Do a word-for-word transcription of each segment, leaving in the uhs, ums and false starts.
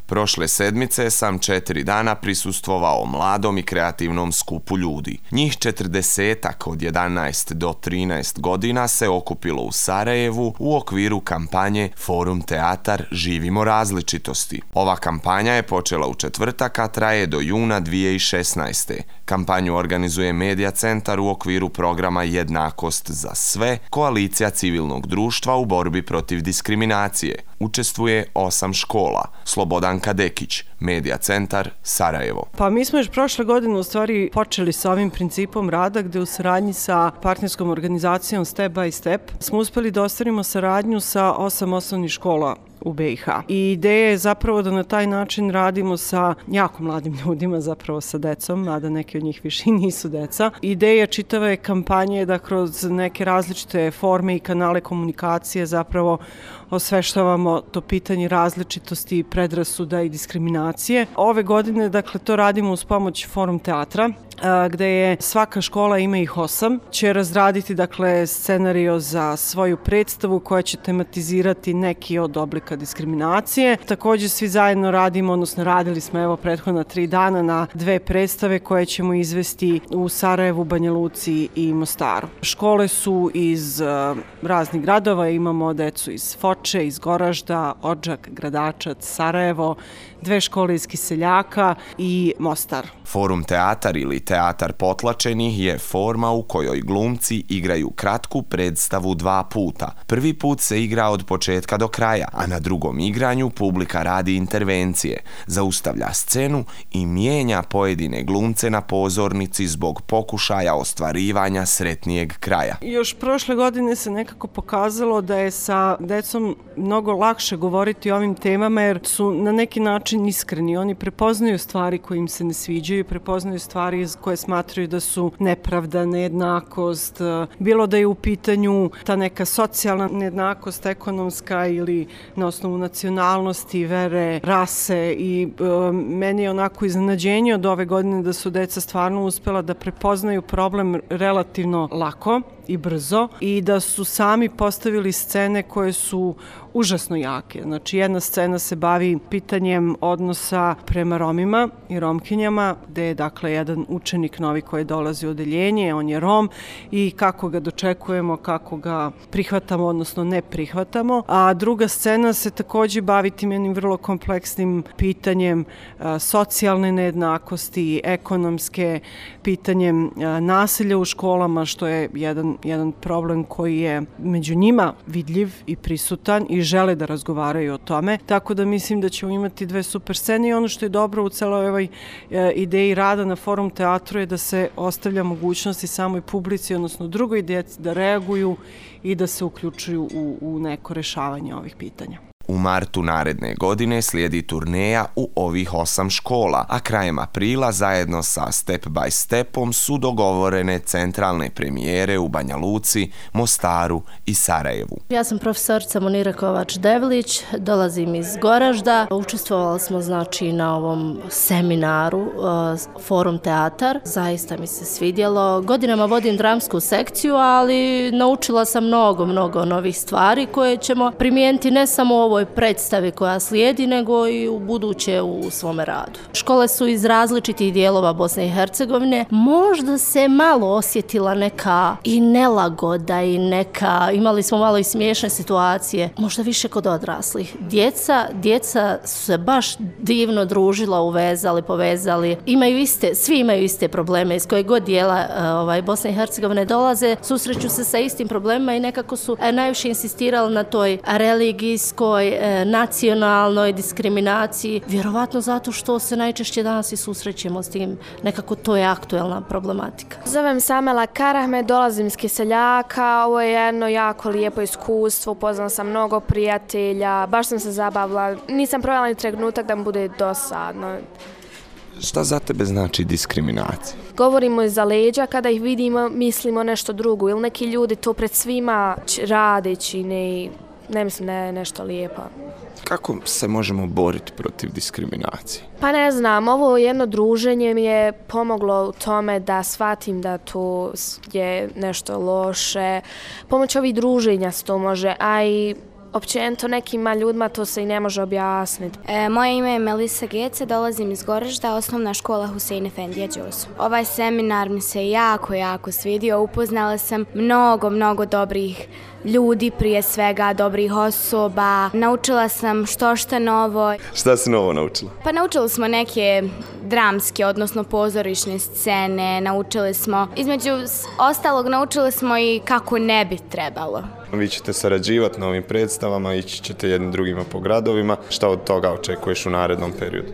Prošle sedmice sam četiri dana prisustvovao mladom i kreativnom skupu ljudi. Njih četrdesetak od jedanaest do trinaest godina se okupilo u Sarajevu u okviru kampanje Forum Teatar Živimo različitosti. Ova kampanja je počela u četvrtak, a traje do juna dvije tisuće šesnaeste. Kampanju organizuje Medija centar u okviru programa Jednakost za sve, koalicija civilnog društva u borbi protiv diskriminacije. Učestvuje osam škola. Slobodan Kadekić, Medija centar, Sarajevo. Pa mi smo još prošle godine u stvari počeli sa ovim principom rada gde u saradnji sa partnerskom organizacijom Step by Step smo uspeli da ostvarimo saradnju sa osam osnovnih škola u be i ha. I ideja je zapravo da na taj način radimo sa jako mladim ljudima, zapravo sa decom, mada neki od njih više i nisu deca. Ideja čitave kampanje je da kroz neke različite forme i kanale komunikacije zapravo osveštavamo to pitanje različitosti, predrasuda i diskriminacije. Ove godine, dakle, to radimo uz pomoć Forum teatra, gde je svaka škola, ima ih osam, će razraditi, dakle, scenario za svoju predstavu koja će tematizirati neki od oblika diskriminacije. Također svi zajedno radimo, odnosno radili smo evo prethodna tri dana na dve predstave koje ćemo izvesti u Sarajevu, Banja Luci i Mostaru. Škole su iz uh, raznih gradova, imamo decu iz Foče, iz Goražda, Odžak, Gradačac, Sarajevo, dve škole iz Kiseljaka i Mostar. Forum teatar ili teatar potlačenih je forma u kojoj glumci igraju kratku predstavu dva puta. Prvi put se igra od početka do kraja, a na drugom igranju publika radi intervencije, zaustavlja scenu i mijenja pojedine glumce na pozornici zbog pokušaja ostvarivanja sretnijeg kraja. Još prošle godine se nekako pokazalo da je sa decom mnogo lakše govoriti o ovim temama jer su na neki način iskreni. Oni prepoznaju stvari koje im se ne sviđaju, prepoznaju stvari koje smatraju da su nepravda, nejednakost, bilo da je u pitanju ta neka socijalna nejednakost, ekonomska ili na osnovu nacionalnosti, vere, rase i e, meni je onako iznenađenje od ove godine da su deca stvarno uspela da prepoznaju problem relativno lako i brzo i da su sami postavili scene koje su užasno jake. Znači, jedna scena se bavi pitanjem odnosa prema Romima i Romkinjama, gde je, dakle, jedan učenik novi koji dolazi u odeljenje, on je Rom i kako ga dočekujemo, kako ga prihvatamo, odnosno ne prihvatamo. A druga scena se također bavi tim jednim vrlo kompleksnim pitanjem a, socijalne nejednakosti, ekonomske, pitanjem a, nasilja u školama, što je jedan, jedan problem koji je među njima vidljiv i prisutan i žele da razgovaraju o tome. Tako da mislim da ćemo imati dve super scene i ono što je dobro u celoj ovoj e, ideji rada na Forum teatru je da se ostavlja mogućnosti samoj publici, odnosno drugoj djeci da reaguju i da se uključuju u, u neko rešavanje ovih pitanja. U martu naredne godine slijedi turneja u ovih osam škola, a krajem aprila zajedno sa Step by Stepom su dogovorene centralne premijere u Banja Luci, Mostaru i Sarajevu. Ja sam profesorica Monira Kovač-Devlić, dolazim iz Goražda. Učestvovali smo znači na ovom seminaru uh, Forum teatar. Zaista mi se svidjelo. Godinama vodim dramsku sekciju, ali naučila sam mnogo, mnogo novih stvari koje ćemo primijeniti ne samo u ovoj predstavi koja slijedi, nego i u buduće u svome radu. Škole su iz različitih dijelova Bosne i Hercegovine. Možda se malo osjetila neka i nelagoda i neka, imali smo malo i smiješne situacije, možda više kod odraslih. Djeca, djeca su se baš divno družila, uvezali, povezali. Imaju iste, svi imaju iste probleme iz kojeg god dijela ovaj, Bosne i Hercegovine dolaze, susreću se sa istim problemima i nekako su najviše insistirali na toj religijskoj, nacionalnoj diskriminaciji, vjerovatno zato što se najčešće danas i susrećemo s tim, nekako to je aktuelna problematika. Zovem se Amela Karahme, dolazim iz Kiseljaka, ovo je jedno jako lijepo iskustvo, upoznala sam mnogo prijatelja, baš sam se zabavila, nisam provela ni trenutak da mi bude dosadno. Šta za tebe znači diskriminacija? Govorimo iza leđa, kada ih vidimo mislimo nešto drugo, ili neki ljudi to pred svima radeći ne... Ne mislim da je nešto lijepo. Kako se možemo boriti protiv diskriminacije? Pa ne znam, ovo jedno druženje mi je pomoglo u tome da shvatim da to je nešto loše. Pomoć ovih druženja se to može, a i općenito nekima ljudima to se i ne može objasniti. E, moje ime je Melisa Gece, dolazim iz Goražda, osnovna škola Husein Efendija Đosu. Ovaj seminar mi se jako, jako svidio. Upoznala sam mnogo, mnogo dobrih ljudi, prije svega dobrih osoba. Naučila sam što šta novo. Šta si novo naučila? Pa naučili smo neke dramske, odnosno pozorišne scene, naučili smo, između ostalog naučili smo i kako ne bi trebalo. Vi ćete sarađivati na ovim predstavama, ići ćete jednim drugima po gradovima. Šta od toga očekuješ u narednom periodu?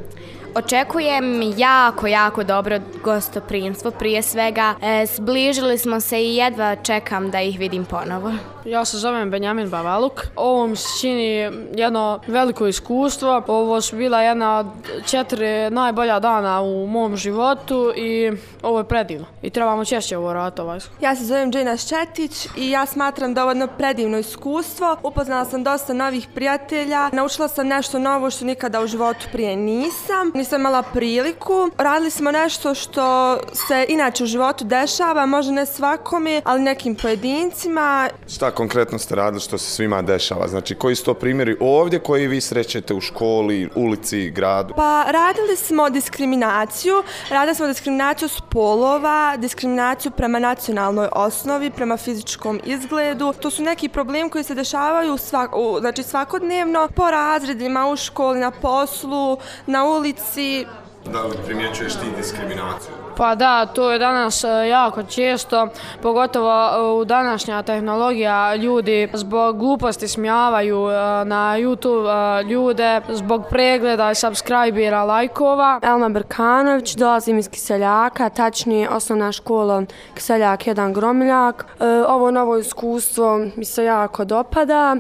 Očekujem jako, jako dobro gostoprimstvo. Prije svega, e, zbližili smo se i jedva čekam da ih vidim ponovo. Ja se zovem Benjamin Bavaluk. Ovo mi se čini jedno veliko iskustvo. Ovo su bila jedna od četiri najbolja dana u mom životu i ovo je predivno. I trebamo češće ovo raditi. Ja se zovem Džejna Ščetić i ja smatram da ovo je jedno predivno iskustvo. Upoznala sam dosta novih prijatelja. Naučila sam nešto novo što nikada u životu prije nisam. Nisam imala priliku. Radili smo nešto što se inače u životu dešava, možda ne svakome, ali nekim pojedincima. Šta konkretno ste radili što se svima dešava? Znači, koji su to primjeri ovdje koji vi srećete u školi, ulici, gradu? Pa radili smo diskriminaciju. Radili smo diskriminaciju spolova, diskriminaciju prema nacionalnoj osnovi, prema fizičkom izgledu. To su neki problemi koji se dešavaju svak, znači svakodnevno po razredima, u školi, na poslu, na ulici. Da li primjećuješ ti diskriminaciju? Pa da, to je danas jako često, pogotovo u današnja tehnologija. Ljudi zbog gluposti smijavaju na YouTube ljude, zbog pregleda i subscribera, lajkova. Elma Brkanović, dolazim iz Kiseljaka, tačnije osnovna škola Kiseljak jedan Gromiljak. Ovo novo iskustvo mi se jako dopada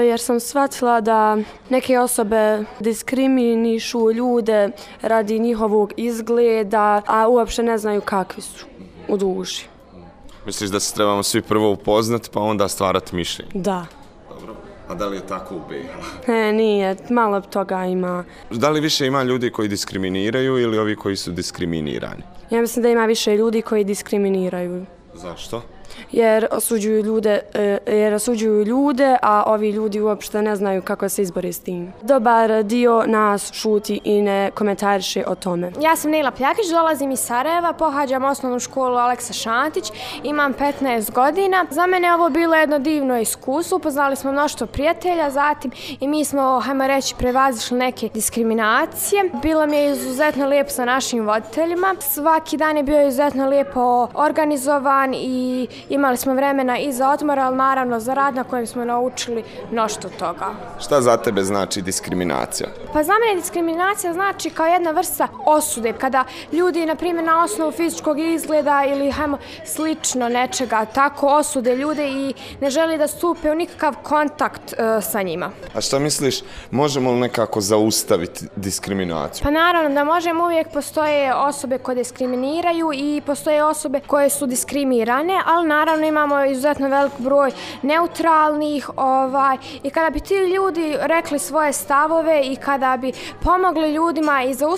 jer sam shvatila da neke osobe diskriminišu ljude radi njihovog izgleda, a uopšte ne znaju kakvi su u duši. Misliš da se trebamo svi prvo upoznati pa onda stvarati mišljenje? Da. Dobro. A da li je tako u B iH? Ne, nije. Malo toga ima. Da li više ima ljudi koji diskriminiraju ili ovi koji su diskriminirani? Ja mislim da ima više ljudi koji diskriminiraju. Zašto? Jer osuđuju ljude, jer osuđuju ljude, a ovi ljudi uopšte ne znaju kako se izbori s tim. Dobar dio nas šuti i ne komentariše o tome. Ja sam Nela Pljakić, dolazim iz Sarajeva, pohađam osnovnu školu Aleksa Šantić, imam petnaest godina. Za mene je ovo bilo jedno divno iskustvo, upoznali smo mnoštvo prijatelja, zatim i mi smo, hajmo reći, prevazišli neke diskriminacije. Bilo mi je izuzetno lijepo sa našim voditeljima. Svaki dan je bio izuzetno lijepo organizovan i imali smo vremena i za odmor, ali naravno za rad na kojem smo naučili mnoštvo toga. Šta za tebe znači diskriminacija? Pa za mene diskriminacija znači kao jedna vrsta osude. Kada ljudi, na primjer, na osnovu fizičkog izgleda ili hajmo slično nečega, tako osude ljude i ne želi da stupe u nikakav kontakt uh, sa njima. A šta misliš, možemo li nekako zaustaviti diskriminaciju? Pa naravno da možemo, uvijek postoje osobe koje diskriminiraju i postoje osobe koje su diskriminirane, ali naravno imamo izuzetno velik broj neutralnih ovaj, i kada bi ti ljudi rekli svoje stavove i kada bi pomogli ljudima i zaustavili